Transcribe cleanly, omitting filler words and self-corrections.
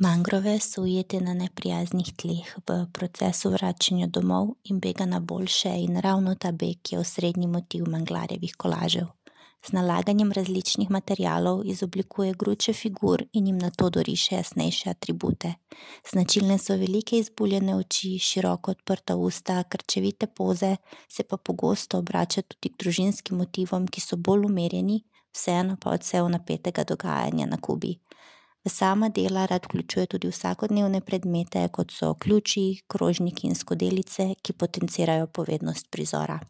Mangrove so ujete na neprijaznih tleh v procesu vračanja domov in bega na boljše in ravno ta beg je osrednji motiv Manglarjevih kolažev. Z nalaganjem različnih materialov izoblikuje gruče figur in jim nato doriše jasnejše atribute. Značilne so velike izbuljene oči, široko odprta usta, krčevite poze, se pa pogosto obrača tudi k družinskim motivom, ki so bolj umirjeni, vseeno pa odsev napetega dogajanja na Kubi. V sama dela rad vključuje tudi vsakodnevne predmete, kot so ključi, krožniki in skodelice, ki potencirajo povednost prizora.